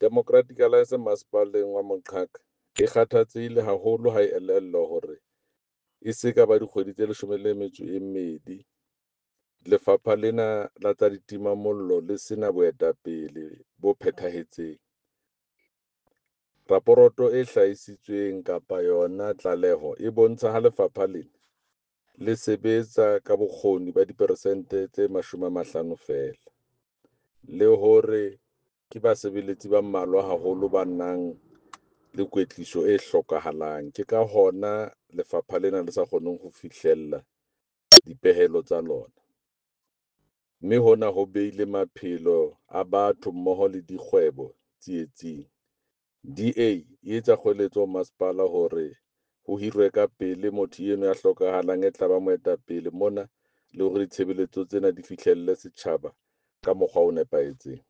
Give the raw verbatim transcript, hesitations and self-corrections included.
Democratic Alliance masepaleng wa Moqhaka e kgathatsehile haholo ha e elellwa hore e se ka ba dikgwedi tse leshome le metso e mmedi lefapha lena la tsa ditimamollo le sena boetapele bo phethahetseng. Raporoto e hlahisitsweng kapa yona tlaleho e bontsha ha lefapha lena le sebetsa ka bokgoni ba diperesente tse mashome a mahlano feela, le hore ke basebeletsi ba mmalwa haholo ba nang le kwetliso e hlokahalang. Ke ka hona lefapha lena le sa kgoneng ho fihlella dipehelo tsa lona, mme hona ho behile maphelo a batho mmoho le dikgwebo tsietsing. D A e etsa kgoeletso ho masepala hore ho hirwe ka pele motho eno ya hlokahalang e tla ba moetapele mona le hore ditshebeletso tsena di fihlelle setjhaba ka mokgwa o nepahetseng.